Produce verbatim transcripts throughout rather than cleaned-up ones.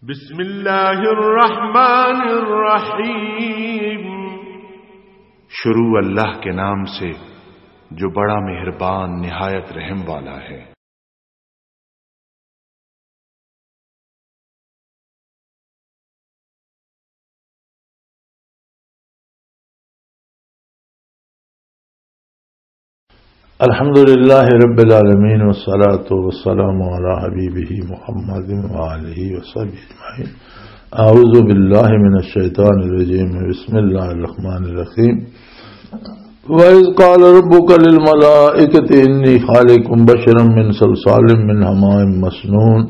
بسم اللہ الرحمن الرحیم۔ شروع اللہ کے نام سے جو بڑا مہربان نہایت رحم والا ہے۔ الحمد لله رب العالمين، والصلاة والسلام على حبيبه محمد وآله وصحبه أجمعين. أعوذ بالله من الشيطان الرجيم. بسم الله الرحمن الرحيم. وإذ قال ربك للملائكة إني خالق بشرا من صلصال من حماء مسنون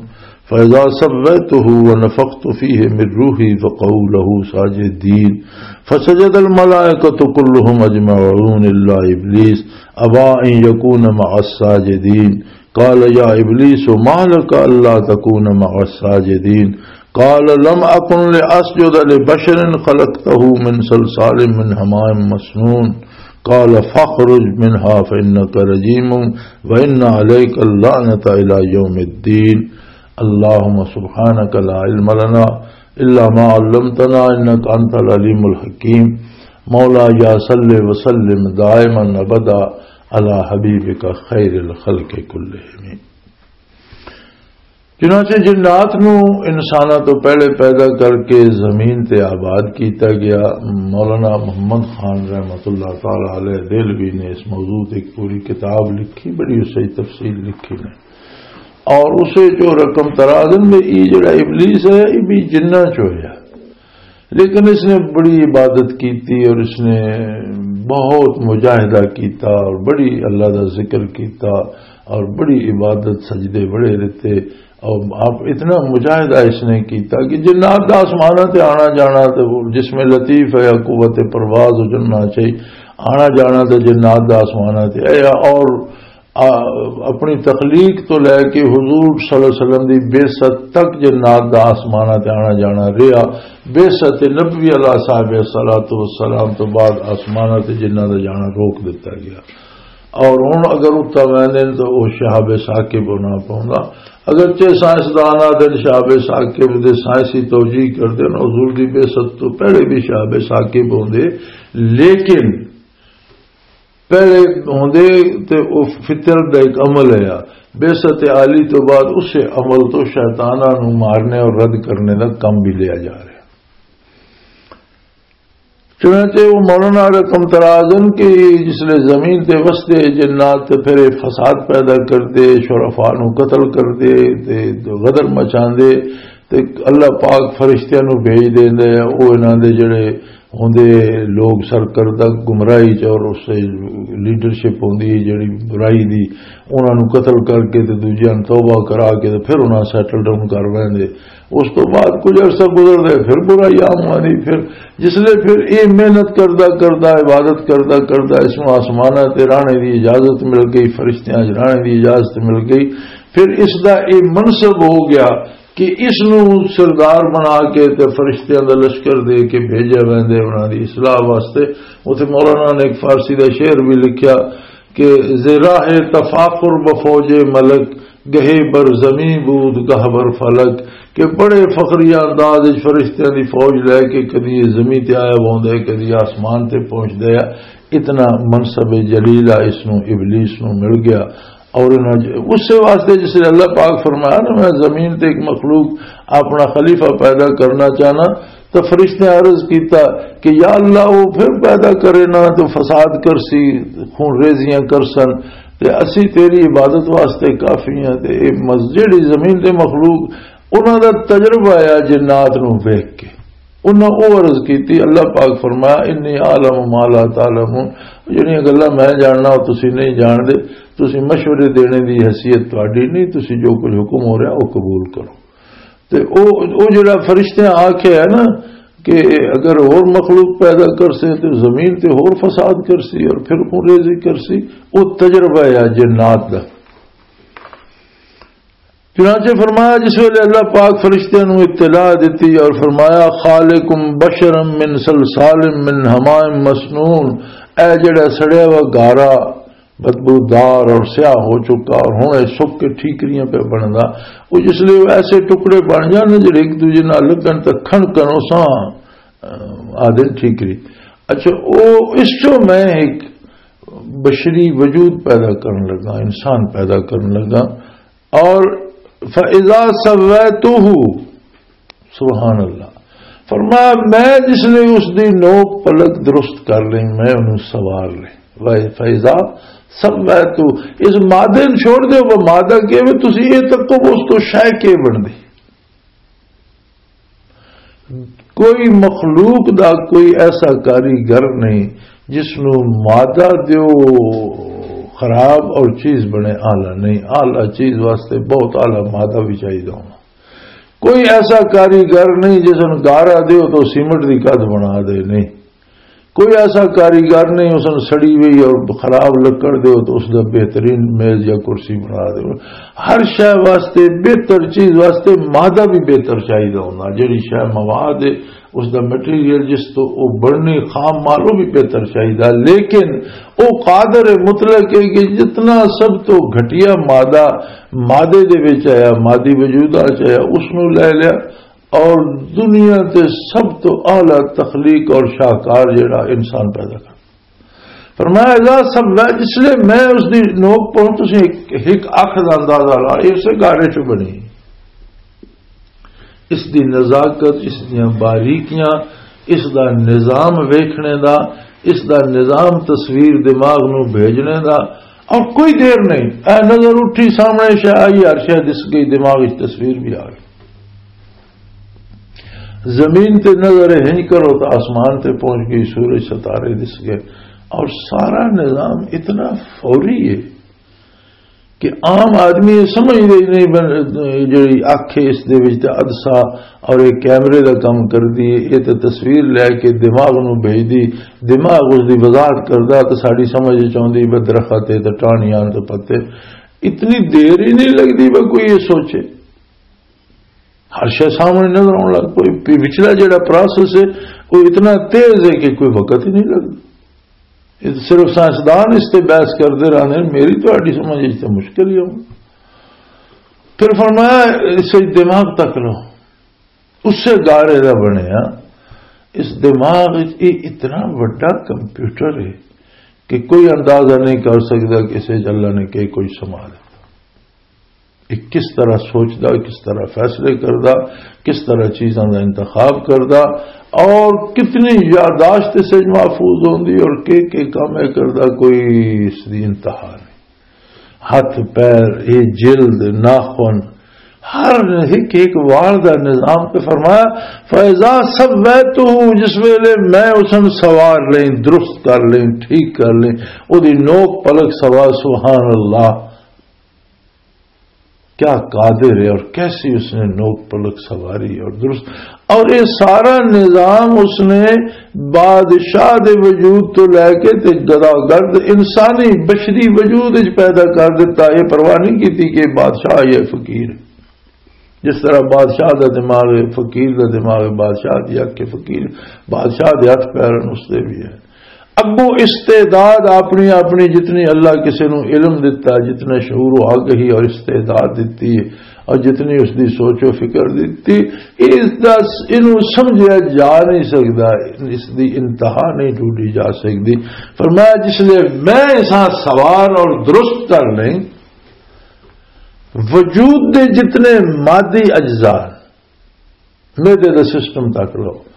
فإذا سويته ونفخت فيه من روحي فقعوا له ساجدين. فسجد الملائكة كلهم أجمعون إلا إبليس أبى أن يكون مع الساجدين. قال يا إبليس ما لك ألا تكون مع الساجدين؟ قال لم أكن لأسجد لبشر خلقته من صلصال من حماء مسنون. قال فاخرج منها فإنك رجيم وإن عليك اللعنة إلى يوم الدين. اللهم سبحانك لا علم لنا إلا ما علمتنا إنك أنت العليم الحكيم. مولاي صل وسلم دائما أبدا على حبيبك خير الخلق كلهم. چنانچہ جنات نو انساناں تو پہلے پیدا کر کے زمین تے آباد کیتا گیا۔ مولانا محمد خان رحمت اللہ تعالی علیہ دہلوی نے اس موضوع تے ایک پوری کتاب لکھی، بڑی اس سے تفصیل لکھی نے۔ اور اسے جو رقم ترازن میں یہ جڑا ابلیس ہے، یہ بھی جنہ چ ہویا۔ لیکن اس نے بڑی عبادت کی تھی اور اس نے بہت مجاہدہ کیتا اور بڑی اللہ دا ذکر کیتا اور بڑی عبادت، سجدے بڑے رہتے۔ اور آپ اتنا مجاہدہ اس نے کیتا کہ جنات دا آسماناں تے آنا جانا تے وہ جسم لطیف ہے، قوت پرواز ہو جانا چاہیے، آنا جانا تے جنات دا آسماناں تے ہے۔ اور آ، اپنی تخلیق تو لے کے حضور صلی اللہ علیہ وسلم دی بعثت تک جنات دا آسماناں تے آنا جانا رہیا۔ بعثت نبوی علیہ صاحب الصلوۃ والسلام تو بعد آسماناں تے جنات دا جانا روک دتا گیا۔ اور ہن اگر اتنا ویندے نے تو وہ شہاب ثاقب ہونا پوندا۔ اگرچہ سائنسدان آدھے نے شہاب ثاقب دے سائنسی توجیہ کردے نے، حضور دی بعثت تو پہلے بھی شہاب ثاقب ہوندے، لیکن پہلے ہوندے تے او فطرت دا ایک عمل ہے۔ بعثت عالی تو بعد اسے عمل تو شیطاناں نوں مارنے اور رد کرنے دا کم بھی لیا جا رہا۔ چنانچہ وہ مولانا رقم ترازن کہ جس لے زمین تے وسدے جنات تے پھر یہ فساد پیدا کردے، شرفا نوں قتل کردے تے غدر مچاندے، تے اللہ پاک فرشتیاں نوں بھیج دیندے، او انہاں دے جڑے ہوندے لوگ سرکردہ گمراہی چ اور اس سے لیڈرشپ ہوندی ہے جڑی برائی دی، انہاں نوں قتل کر کے تے دوجیاں نوں توبہ کرا کے تے پھر انہاں سیٹل ڈاؤن کر ویندے۔ اس تو بعد کچھ عرصہ گزردا ہے، پھر برائی عام ہوندی۔ پھر جس لے پھر یہ محنت کردا کردا، عبادت کردا کردا، اس نوں آسماناں تے رانے دی اجازت مل گئی، فرشتیاں چ رانے دی اجازت مل گئی۔ پھر اس دا یہ منصب ہو گیا کہ اس نوں سردار بنا کے تے فرشتیاں دا لشکر دے کے بھیجیا ویندے انہاں دی اصلاح واسطے۔ اوتھے مولانا نے ایک فارسی دا شعر بھی لکھیا کہ زراہ تفاخر بفوج ملک، گہے بر زمین بود گہ بر فلک، کہ بڑے فخریہ انداز وچ فرشتیاں دی فوج لے کے کدی یہ زمین تے آیا ہوندے، کدی آسمان تے پہنچ دے۔ اتنا منصب جلیل آ اس نوں، ابلیس نوں مل گیا۔ اور انہاں ج-، اس سے واسطے جس لئے اللہ پاک فرمایا نا، میں زمین تے ایک مخلوق اپنا خلیفہ پیدا کرنا چاہنا، تو فرشتے عرض کیتا کہ یا اللہ، وہ پھر پیدا کرے نا تو فساد کرسی، خون ریزیاں کرسن، تے اسی تیری عبادت واسطے کافی ہیں۔ تے اے مز-، جیڑی زمین تے مخلوق، انہاں دا تجربہ آیا جنات نوں ویکھ کے۔ انہاں او عرض کیتی، اللہ پاک فرمایا، "انی اعلم ما لا تعلمون"، جڑیاں گلاں میں جاننا، او تسی نہیں جاندے، تسی مشورے دینے دی حیثیت تہاڈی نہیں، تسی جو کچھ حکم ہو رہا، او قبول کرو۔ تے او، او جڑا فرشتیاں آکھیا ہے نا کہ اگر ہور مخلوق پیدا کرسے تے زمین تے ہور فساد کرسی اور پھر خون ریزی کرسی، او تجربہ ہے جنات دا۔ چنانچہ فرمایا، جس ویلے اللہ پاک فرشتیاں نوں اطلاع دتی اور فرمایا، "خالقم بشرا من صلصال من حماء مسنون"، اے جڑا سڑیا ہوا گارا، بدبودار اور سیاہ ہو چکا اور ہن یہ سک کے ٹھیکریاں پہ بندا۔ وہ جس لئے وہ ایسے ٹکڑے بن جاندے جڑے ایک دوجے نال لگن تے کھنکن اساں، آ، آدھے ٹھیکری۔ اچھا، او اس چوں میں ایک بشری وجود پیدا کرن لگا، انسان پیدا کرن لگا۔ اور فَإِذَا سَوَّيْتُهُ، سبحان اللہ، فرمایا، میں جس نے اس دی نوک پلک درست کر لیں، میں انہوں سوار لیں۔ فَإِذَا سَوَّيْتُهُ، اس مادے نوں چھوڑ دیو، وہ مادہ کہے، تسی یہ تکو اس تو شے کے بن دی۔ کوئی مخلوق دا کوئی ایسا کاریگر نہیں جس نو مادہ دیو خراب اور چیز بنے اعلیٰ نہیں۔ اعلیٰ چیز واسطے بہت اعلیٰ مادہ بھی چاہیے ہونا۔ کوئی ایسا کاریگر نہیں جس نو گارا دیو تو سیمنٹ دی کد بنا دے، نہیں۔ کوئی ایسا کاریگر نہیں، اس نے سڑی ہوئی اور خراب لکڑ دے تو اس دا بہترین میز یا کرسی بنا دے۔ ہر شے واسطے، بہتر چیز واسطے مادہ بھی بہتر چاہیدا ہوندا۔ جڑی شے مواد ہے، اس دا مٹیریل جس تو او بننی خام مال، او بھی بہتر چاہیدا۔ لیکن او قادر مطلق ہے کہ جتنا سب تو گھٹیا مادہ مادے دے وچ آیا، مادی وجود آ چ آیا، اس نو لے لیا، اور دنیا تے سب تو اعلیٰ تخلیق اور شاہکار جڑا انسان پیدا کر۔ فرمایا، اذا سب، اس لیے میں اس دی نوک پہنچ، تسی ایک، ایک اکھ دا اندازہ لا، اس سے گارے چ بنی۔ اس دی نزاکت، اس دیاں باریکیاں، اس دا نظام ویکھنے دا، اس دا نظام تصویر دماغ نو بھیجنے دا، اور کوئی دیر نہیں، اے نظر اٹھی سامنے شے آئی، ہر شے دس گئی، دماغ وچ تصویر بھی آ گئی۔ زمین تے نظر ہنج کرو تو آسمان تے پہنچ گئی، سورج ستارے دس گئے، اور سارا نظام اتنا فوری ہے کہ عام آدمی یہ سمجھ ہی نہیں بن-، جڑی اکھ ہے اس دے وچ تے عدسہ اور ایک کیمرے دا کم کر دیے، یہ تے تصویر لے کے دماغ نو بھیج دی، دماغ اس دی وضاحت کردا تے ساڈی سمجھ وچ آوندی بس درخت ہے تے ٹاہنیاں تے پتے۔ اتنی دیر ہی نہیں لگدی بس کوئی یہ سوچے۔ ہر شے سامنے نظر آن لگ پئی۔ پی-، پچھلا جڑا پروسیس ہے، وہ اتنا تیز ہے کہ کوئی وقت ہی نہیں لگدا۔ یہ صرف سائنسدان اس تے بحث کردے رہندے نے، میری تہاڈی سمجھ وچ تے مشکل ہی ہو۔ پھر فرمایا، اسے دماغ تک لو، اسے گارے دا بنیا۔ اس دماغ وچ یہ اتنا وڈا کمپیوٹر ہے کہ کوئی اندازہ نہیں کر سکدا کہ اسے اللہ نے کہ کوئی سما دیتا۔ یہ کس طرح سوچدا، کس طرح فیصلے کردا، کس طرح چیزاں دا انتخاب کردا، اور کتنی یادداشت اس وچ محفوظ ہوندی، اور کہ کہ کم ہے کردا، کوئی اس دی انتہا نہیں۔ ہاتھ، پیر، یہ جلد، ناخن، ہر ایک ایک وال دا نظام۔ تے فرمایا، فَإِذَا سَوَّيْتُهُ، جس ویلے میں اس نوں سوار لیں، درست کر لیں، ٹھیک کر لیں، او دی نوک پلک سوا، سبحان اللہ۔ کیا قادر ہے اور کیسی اس نے نوک پلک سواری اور درست، اور یہ سارا نظام اس نے بادشاہ دے وجود تو لے کے تے گدا گرد انسانی بشری وجود وچ پیدا کر دیتا۔ یہ پرواہ نہیں کیتی کہ بادشاہ یا فقیر۔ جس طرح بادشاہ دا دماغ ہے، فقیر دا دماغ ہے، بادشاہ دی اکھ ہے، فقیر، بادشاہ دے ہتھ پیر ہیں، اس دے بھی ہے۔ اگوں استعداد اپنی، اپنی جتنی اللہ کسے نو علم دتا، جتنا شعور و آگہی اور استعداد دتی ہے، اور جتنی اس دی سوچ و فکر دتی، اس دا، اینو سمجھیا جا نہیں سکدا، اس دی انتہا نہیں ڈھونڈی جا سکدی۔ فرمایا، جس لئے میں اساں سوار اور درست کر لیں، وجود دے جتنے مادی اجزاء، معدے دا سسٹم تک لو،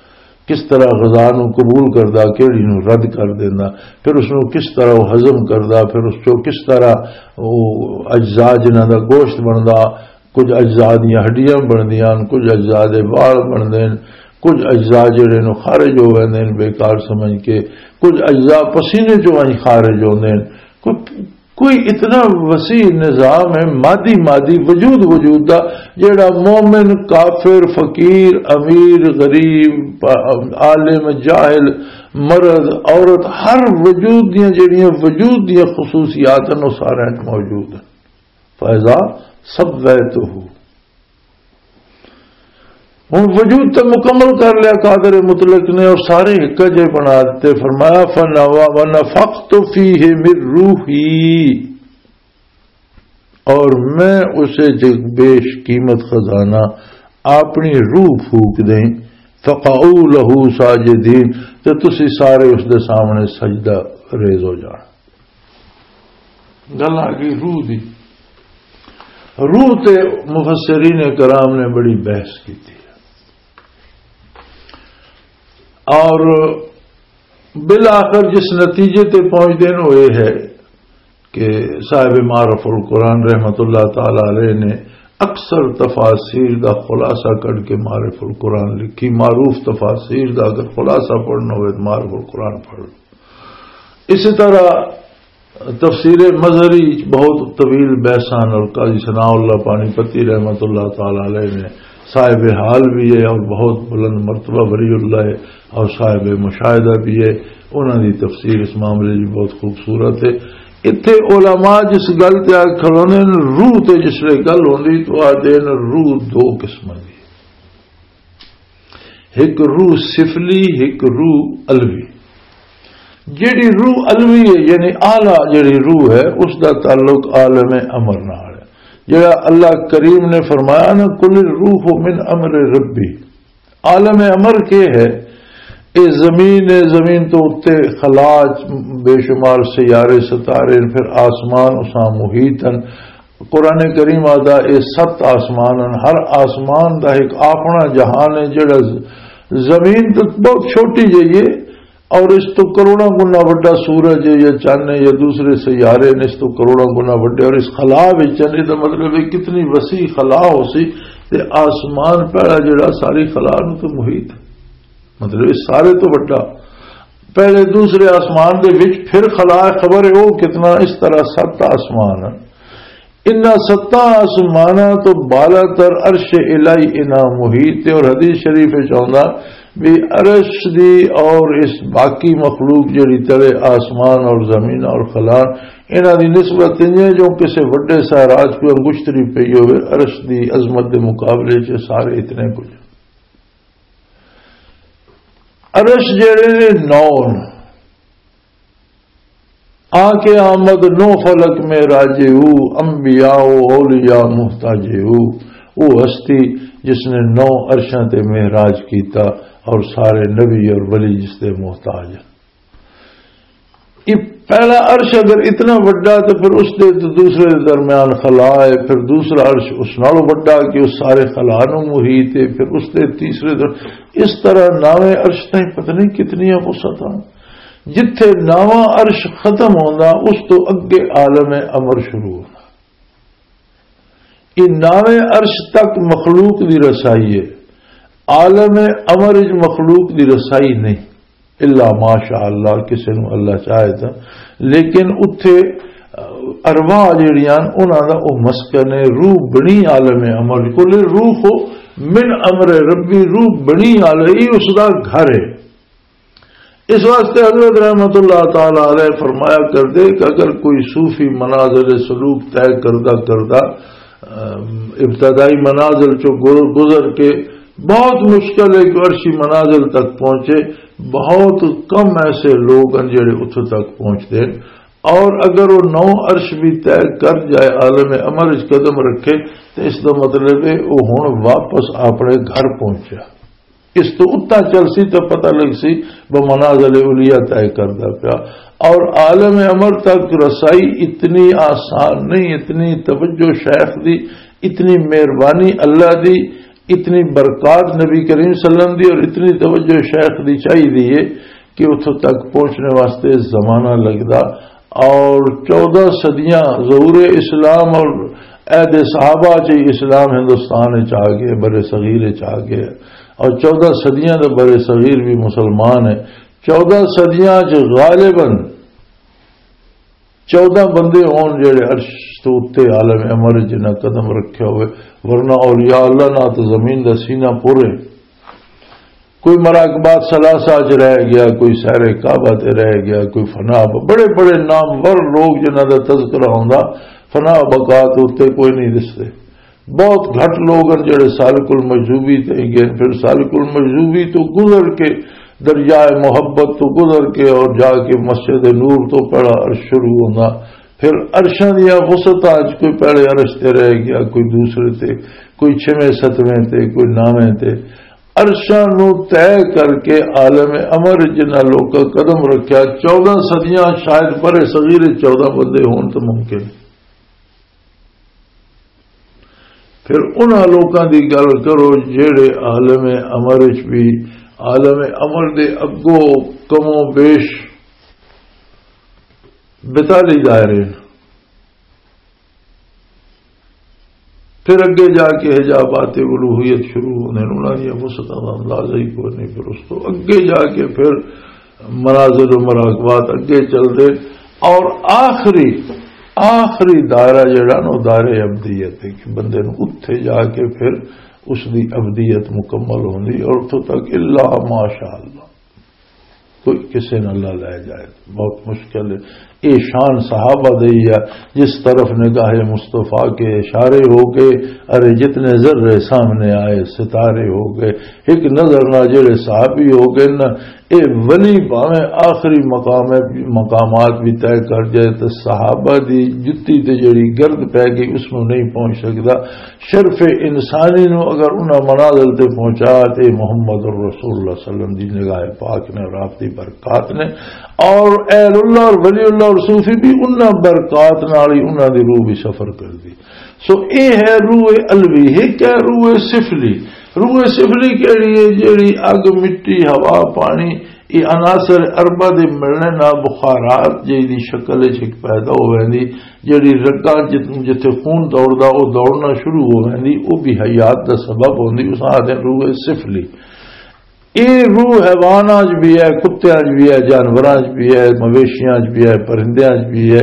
کس طرح غذا نو قبول کردا، کیڑی نو رد کر دیندا، پھر اس نو کس طرح وہ ہضم کردا، پھر اس چوں کس طرح وہ اجزاء جنہاں دا گوشت بندا، کچھ اجزاء دیاں ہڈیاں بندیاں ہن، کچھ اجزاء دے وال بندے ہن، کچھ اجزاء جڑے نو خارج ہو ویندے ہن بیکار سمجھ کے، کچھ اجزاء پسینے چوں ونج خارج ہوندے ہن۔ کوئی کوئی اتنا وسیع نظام ہے، مادی، مادی وجود، وجود دا، جیڑا مومن، کافر، فقیر، امیر، غریب، عالم، جاہل، مرد، عورت، ہر وجود دیاں جیڑیاں وجود دیاں خصوصیات ہیں، وہ سارے موجود ہیں۔ فَإِذَا سَوَّيْتُهُ۔ ہن وجود تے مکمل کر لیا قادر مطلق نے اور سارے ہک جے بنا دتے۔ فرمایا، "فنوا ونفخت فیہ من روحی"، اور میں اسے جو بیش قیمت خزانہ اپنی روح پھونک دیں، "فقعوا لہ ساجدین"، تے تسی سارے اس دے سامنے سجدہ ریز ہو جانا۔ گل آ گئی روح دی۔ روح تے مفسرین کرام نے بڑی بحث کی تھی، اور بالآخر جس نتیجے تے پہنچ دین وہ یہ ہے کہ صاحب معرف القرآن رحمت اللہ تعالی علیہ نے اکثر تفاسیر دا خلاصہ کر کے معرف القرآن لکھی۔ معروف تفاسیر دا اگر خلاصہ پڑھنا ہوئے تو معرف القرآن پڑھ لو۔ اسی طرح تفسیر مظہری وچ بہت طویل بحثاں اور قاضی ثناء اللہ پانی پتی رحمت اللہ تعالی علیہ نے، صاحب حال بھی ہے اور بہت بلند مرتبہ ولی اللہ ہے اور صاحب مشاہدہ بھی ہے، انہاں دی تفسیر اس معاملے دی بہت خوبصورت ہے۔ اتھے علماء جس گل تے آ کھلونے نے، روح تے جس لے گل ہوندی تو آ دین روح دو قسم دی، ایک روح سفلی، ایک روح علوی۔ جیڑی روح علوی ہے، یعنی اعلیٰ جیڑی روح ہے، اس دا تعلق عالم امر نال ہے۔ جیڑا اللہ کریم نے فرمایا نا، "قل الروح من امر ربی"، عالم امر کے ہے؟ اے زمین ہے، زمین تو اتے خلا چ بے شمار سیارے ستارے، پھر آسمان اساں محیط ہیں۔ قرآن کریم آدھا، اے ست آسمان ہیں، ہر آسمان دا ایک اپنا جہان ہے، جڑا ز-، زمین تو بہت چھوٹی جہی ہے، اور اس تو کروڑاں گنا وڈا سورج ہے یا چند ہے یا دوسرے سیارے نے، اس تو کروڑاں گنا وڈے، اور اس خلا وچ ہیں۔ دا مطلب ہے کتنی وسیع خلا ہو سی، تے آسمان پہلا جڑا ساری خلا نو تو محیط ہے، مطلب اس سارے تو وڈا، پہلے دوسرے آسمان دے وچ پھر خلا، خبر ہے وہ کتنا، اس طرح ست آسمان ہیں۔ انہاں ستاں آسماناں تو بالا تر عرش الہی انہاں محیط ہے، اور حدیث شریف وچ آوندا بھی عرش دی اور اس باقی مخلوق جڑی تلے آسمان اور زمین اور خلا، انہاں دی نسبت انج ہے جو کسے وڈے ساراج کوئی انگشتری پئی ہوئے، عرش دی عظمت دے مقابلے چ سارے اتنے کچھ۔ عرش جڑے نے نو نے، آ کے آمد نو فلک میں راجے ہو، انبیاء و اولیاء محتاجے ہو۔ وہ ہستی جس نے نو عرشاں تے معراج کیتا اور سارے نبی اور ولی جس دے محتاج ہیں۔ یہ پہلا عرش اگر اتنا وڈا تو پھر اس دے تو دوسرے دے درمیان خلا ہے، پھر دوسرا عرش اس نالوں وڈا کہ اس سارے خلا نو محیط ہے، پھر اس دے تیسرے در-، اس طرح ناویں عرش تائیں پتہ نہیں کتنیاں وسعتاں۔ جتھے ناواں عرش ختم ہوندا، اس تو اگے عالم امر شروع ہوندا۔ یہ ناویں عرش تک مخلوق دی رسائی ہے، عالم امر وچ مخلوق دی رسائی نہیں، الا ماشاء اللہ، کسے نوں اللہ چاہے تاں۔ لیکن اتھے ارواح جڑیاں انہاں دا او مسکن ہے، روح بنی عالم امر، کل روح من امر ربی، روح بنی عالم، یہ اس دا گھر ہے۔ اس واسطے حضرت رحمت اللہ تعالی علیہ فرمایا کردے کہ اگر کوئی صوفی منازل سلوک طے کردہ کردہ، ام، ابتدائی منازل چوں گر-، گزر کے بہت مشکل ہے کہ عرشی منازل تک پہنچے، بہت کم ایسے لوگ ہیں جڑے اتھوں تک پہنچتے ہیں۔ اور اگر وہ نو عرش بھی طے کر جائے، عالم امر وچ قدم رکھے، تو اس دا مطلب ہے وہ ہن واپس اپنے گھر پہنچیا۔ اس تو اتنا چل سی تو پتہ لگ سی، وہ منازل اولیاء طے کردا پیا۔ اور عالم امر تک رسائی اتنی آسان نہیں، اتنی توجہ شیخ دی، اتنی مہربانی اللہ دی، اتنی برکات نبی کریم صلی اللہ علیہ وسلم دی اور اتنی توجہ شیخ دی چاہیے کہ اتھوں تک پہنچنے واسطے زمانہ لگدا۔ اور چودہ صدیاں ظہور اسلام اور عہد صحابہ چ اسلام ہندوستان چ آ گئے، بر صغیر چ آ گئے، اور چودہ صدیاں دے بر صغیر بھی مسلمان ہے۔ چودہ صدیاں چ غالباً چودہ بندے ہون جڑے عرش تو اتے عالم امر جنہاں قدم رکھیا ہوئے، ورنہ اولیاء اللہ نہ تو زمین دا سینہ پورے۔ کوئی مراقبات ثلاثہ چ رہ گیا، کوئی سہر کعبہ تے رہ گیا، کوئی فنا ب-، بڑے بڑے نامور لوگ جنہاں دا تذکرہ ہوندا، فنا بقا تے اتے کوئی نہیں دستے۔ بہت گھٹ لوگ ہیں جڑے سالک المجذوبی تے گئے۔ پھر سالک المجذوبی تو گزر کے، دریائے محبت تو گزر کے اور جا کے مسجد نور تو پہلا عرش شروع ہونا۔ پھر عرشاں دیاں وسعتاں اچ کوئی پہلے عرش تے رہ گیا، کوئی دوسرے تے، کوئی چھویں ستویں تے، کوئی نویں تے۔ عرشاں نو طے کر کے عالم امر جنہاں لوکاں قدم رکھیا، چودہ صدیاں شاید برے صغیر چودہ بندے ہون تو ممکن۔ پھر انہاں لوکاں دی گل کرو جڑے عالم امر وچ بھی، عالم امر دے اگوں کموں بیش بتالی دائرے نے۔ پھر اگے جا کے حجابات الوہیت شروع ہوندے نے، انہاں دیاں وسعتاں دا اندازہ ہی کوئی نہیں۔ پھر اس تو اگے جا کے پھر منازل و مراقبات اگے چلدے، اور آخری، آخری دائرہ جڑا نا، وہ دائرہ ابدیت ہے کہ بندے نو اتھے جا کے پھر اس دی ابدیت مکمل ہوندی، اور اتھوں تک الا ماشاء اللہ کوئی کسے نال نہ لے جائے، بہت مشکل ہے۔ اے شان صحابہ دی ہے، جس طرف نگاہ مصطفیٰ کے اشارے ہو گئے، ارے جتنے ذرے سامنے آئے ستارے ہو گئے۔ ایک نظر نہ جڑے صحابی ہو گئے نا، اے ولی بھاویں آخری مقام ہے، مقامات بھی طے کر جائے تو صحابہ دی جتی تے جڑی گرد پہ گئی اس نو نہیں پہنچ سکدا۔ شرف انسانی نو اگر انہاں منازل تے پہنچا تے محمد رسول اللہ صلی اللہ علیہ وسلم دی نگاہ پاک نے اور آپ دی برکات نے، اور اہل اللہ اور ولی اللہ اور صوفی بھی انہاں برکات نال ہی انہاں دی روح بھی سفر کر دی۔ سو اے ہے روح علوی، ایک ہے روح سفلی۔ روح سفلی کہڑی ہے؟ جیڑی اگ، مٹی، ہوا، پانی، یہ عناصر اربعہ دے ملنے نال بخارات جی دی شکل وچ ایک پیدا ہو ویندی، جیڑی رگاں جت-، جتھے خون دوڑدا، او دوڑنا شروع ہو ویندی، او بھی حیات دا سبب ہوندی، اس آدھے روح سفلی۔ اے روح حیواناں وچ بھی ہے، کتیاں وچ بھی ہے، جانوراں وچ بھی ہے، مویشیاں وچ بھی ہے، پرندیاں وچ بھی ہے۔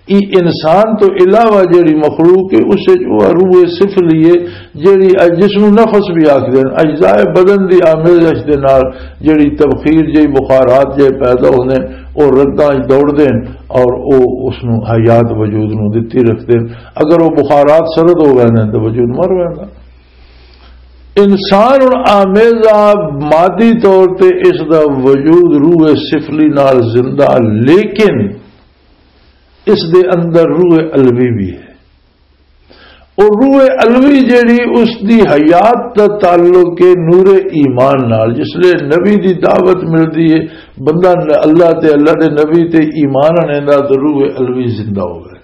ای انسان تو علاوہ جیڑی مخلوق ہے، اس وچ وہ روح سفلی ہے، جیڑی اج-، جس نوں نفس بھی آکھدے نے، اجزاء بدن دی آمیزش دے نال جیڑی تبخیر، جیڑی بخارات جے پیدا ہوندے نے، او رگاں وچ دوڑدے نے اور او اس نوں حیات وجود نوں دتی رکھدے نے۔ اگر او بخارات سرد ہو ویندے نے تے وجود مر ویندا۔ انسان ہن آمیزہ مادی طور تے اس دا وجود روح سفلی نال زندہ، لیکن اس دے اندر روح علوی بھی ہے۔ اور روح علوی جیڑی، اس دی حیات دا تعلق ہے نور ایمان نال۔ جس لے نبی دی دعوت ملدی ہے، بندہ ن-، اللہ تے اللہ دے نبی تے ایمان آنیندا تے روح علوی زندہ ہو ویندی۔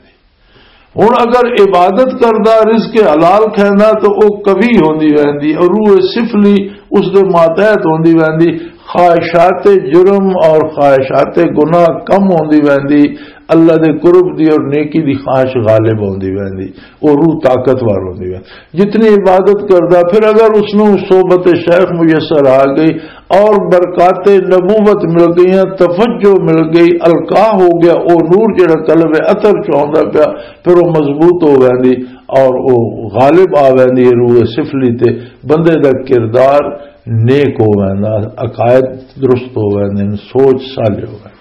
ہن اگر عبادت کردا، رزق حلال کھیندا تو او قوی ہوندی ویندی، اور روح سفلی اس دے ماتحت ہوندی ویندی، خواہشات جرم اور خواہشات گناہ کم ہوندی ویندی، اللہ دے قرب دی اور نیکی دی خواہش غالب ہوندی ویندی، او روح طاقتور ہوندی ویندی۔ جتنی عبادت کردا، پھر اگر اس نوں صحبت شیخ میسر آ گئی اور برکات نبوت مل گئیاں، توجہ مل گئی، القاء ہو گیا، او نور جڑا قلب اطہر چ ہوندا پیا، پھر او مضبوط ہو ویندی اور او غالب آ ویندی ہے روح سفلی تے۔ بندے دا کردار نیک ہو ویندا، عقائد درست ہو ویندے نے، سوچ صالح ہو ویندی۔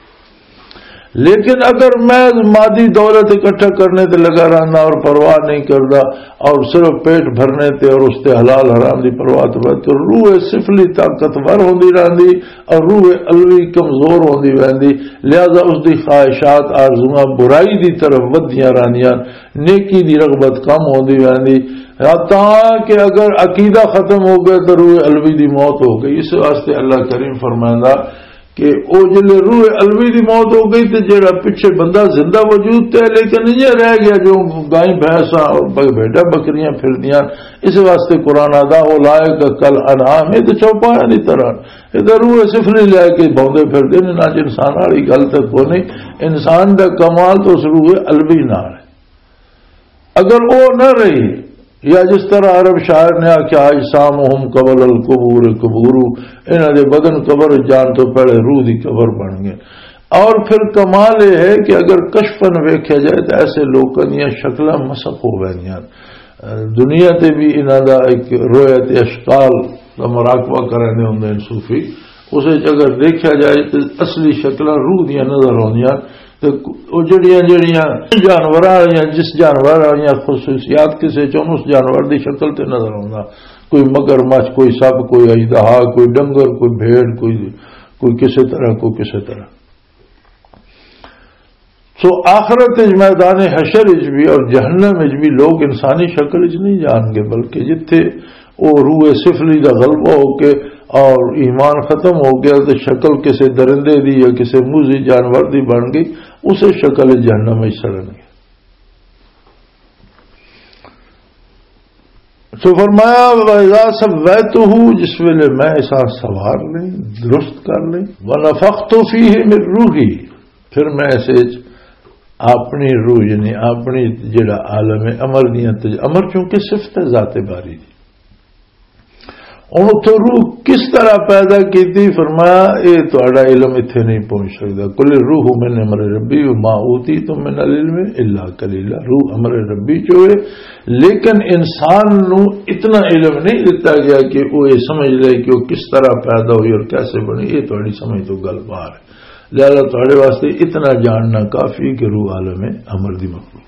لیکن اگر میں مادی دولت اکٹھا کرنے تے لگا رہنا اور پرواہ نہیں کردا اور صرف پیٹ بھرنے تے اور اس تے حلال حرام دی پرواہ تو بات، تو روح سفلی طاقتور ہوندی رہندی اور روح علوی کمزور ہوندی ویندی۔ لہذا اس دی خواہشات، آرزوئاں برائی دی طرف ودیاں رہندیاں، نیکی دی رغبت کم ہوندی ویندی، حتیٰ کہ اگر عقیدہ ختم ہو گیا تو روح علوی دی موت ہو گئی۔ اس واسطے اللہ کریم فرمائندا کہ او جلے روح علوی دی موت ہو گئی تے جیڑا پچھے بندہ زندہ وجود تے ہے، لیکن یہ رہ گیا جو گائیں بھینساں اور ب-، بھیڈاں بکریاں پھردیاں۔ اس واسطے قرآن آدا، "اولئک کل انعام"، یہ تو چوپایاں دی طرح، یہ تو روح سفلی لے کے بھوندے پھردے نے، نہ انسان والی گل تے کوئی نہیں۔ انسان دا کمال تو اس روح علوی نال ہے۔ اگر او نہ رہی، یا جس طرح عرب شاعر نے آکھیا، "اجسامہم قبل القبور قبور"، انہاں دے بدن قبر جان تو پہلے روح دی قبر بن گئے۔ اور پھر کمال یہ ہے کہ اگر کشفاً ویکھیا جائے تو ایسے لوکاں دیاں شکلاں مسخ ہو ویندیاں۔ دنیا تے بھی انہاں دا ایک رویت اشکال دا مراقبہ کرنے ہوندے ہیں صوفی، اس وچ اگر دیکھا جائے تو اصلی شکلاں روح دیاں نظر آندیاں، او جڑیاں جڑیاں جانوراں والیاں، جس جانور والیاں خصوصیات کسے چ ہن، اس جانور دی شکل تے نظر آوندا۔ کوئی مگرمچھ، کوئی سپ، کوئی اژدہا، کوئی ڈنگر، کوئی بھیڑ، کوئی، کوئی کسے طرح، کوئی کسے طرح۔ سو آخرت وچ میدان حشر وچ بھی اور جہنم وچ بھی لوگ انسانی شکل وچ نہیں جان گے، بلکہ جتھے او روح سفلی دا غلبہ ہو کے اور ایمان ختم ہو گیا تے شکل کسے درندے دی یا کسے موذی جانور دی بن گئی، اسے شکل وچ جہنم وچ سڑن گے۔ سو فرمایا، "وَإِذَا سَوَّيْتُهُ"، جس ویلے میں اسا سوار لیں، درست کر لیں، "وَنَفَخْتُ فِيهِ مِنْ رُوحِي"، پھر میں اسے وچ اپنی روح، یعنی اپنی جڑا عالم امر دیاں تج-، امر چونکہ صفت ہے ذات باری دی۔ ہن اتھوں روح کس طرح پیدا کیتی؟ فرمایا، "اے تہاڈا علم اتھے نہیں پہنچ سکدا۔" "قل الروح من امر ربی وما اوتیتم من العلم الا قلیلا۔" روح امر ربی چ ہوئے، لیکن انسان نو اتنا علم نہیں دتا گیا کہ وہ یہ سمجھ لے کہ وہ کس طرح پیدا ہوئی اور کیسے بنی۔ یہ تہاڈی سمجھ تو گل باہر ہے، لہذا تہاڈے واسطے اتنا جاننا کافی کہ روح عالم امر دی مخلوق۔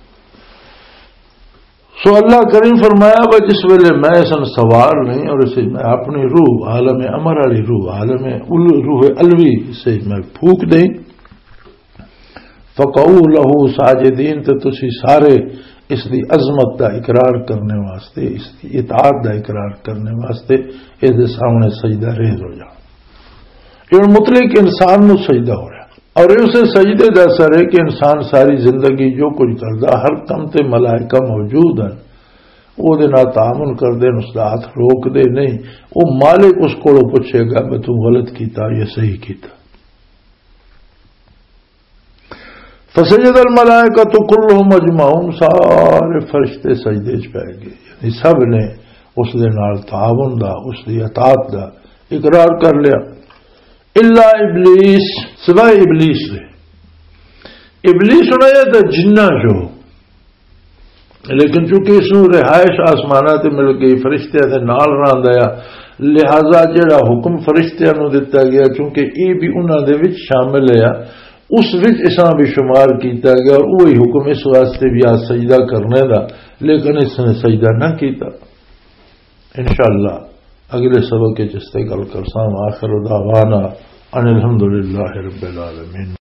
سو اللہ کریم فرمایا، "وہ جس ویلے میں اس نوں سوار نہیں اور اسے میں اپنی روح، عالم امر والی روح، عالم ال-، روح الوی سے میں پھونک دیں۔" "فقعوا لہ ساجدین"، تے تسی سارے اس دی عظمت دا اقرار کرنے واسطے، اس دی اطاعت دا اقرار کرنے واسطے اس دے سامنے سجدہ ریز ہو جاؤ۔ یہ ہن مطلق انسان نو سجدہ ہو رہا، اور یہ اسے سجدے دا اثر ہے کہ انسان ساری زندگی جو کچھ کردا، ہر کم تے ملائکہ موجود ہیں، او دے نال تعاون کردے نے، اس دا ہاتھ روک دے نہیں۔ او مالک اس کولوں پوچھے گا کہ تو غلط کیتا یا صحیح کیتا۔ فسجد الملائکۃ کلہم اجمعون، سارے فرشتے سجدے چ پے گئے، یعنی سب نے اس دے نال تعاون دا، اس دی اطاعت دا اقرار کر لیا۔ الا ابلیس، سوائے ابلیس دے۔ ابلیس ہونا یہ تو جنہ جو، لیکن چونکہ اس نوں رہائش آسماناں تے مل گئی، فرشتیاں دے نال رہندا آ، لہذا جڑا حکم فرشتیاں نوں دتا گیا، چونکہ یہ بھی انہاں دے وچ شامل ہے، اس وچ اساں بھی شمار کیتا گیا، اور وہی حکم اس واسطے بھی آ سجدہ کرنے دا، لیکن اس نے سجدہ نہ کیتا۔ انشاءاللہ اگلے سبق وچ اس تے گل کرساں۔ آخر دعوانا ان الحمدللہ رب العالمین۔